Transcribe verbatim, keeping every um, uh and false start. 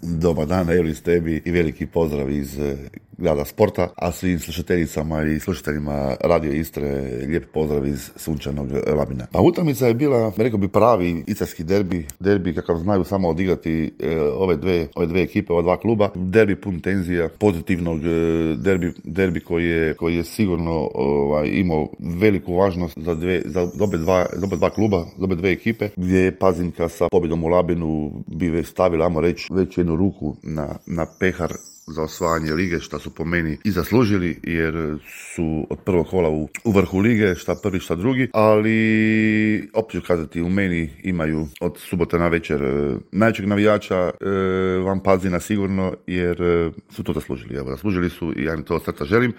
Dobar dan, Elis, tebi i veliki pozdrav iz grada sporta, a svim slušateljicama i slušateljima Radio Istre lijep pozdrav iz sunčanog Labina. A utakmica je bila, rekao bi, pravi istarski derbi, derbi kakav znaju samo odigrati e, ove dve ove dve ekipe, ova dva kluba, derbi pun tenzija, pozitivnog e, derbi, derbi koji je koji je sigurno ovaj, imao veliku važnost za dve za obe dva, za obe dva kluba, za obe dve ekipe, gdje je Pazinka sa pobjedom u Labinu bi već stavila, ajmo reći, već jednu ruku na, na pehar za osvajanje lige, što su po meni i zaslužili, jer su od prvog kola u, u vrhu lige, šta prvi, šta drugi, ali opet ću kazati, u meni imaju od subote na večer e, najvećeg navijača e, van Pazina sigurno, jer e, su to zaslužili. Evo, zaslužili su i ja im to od srca želim.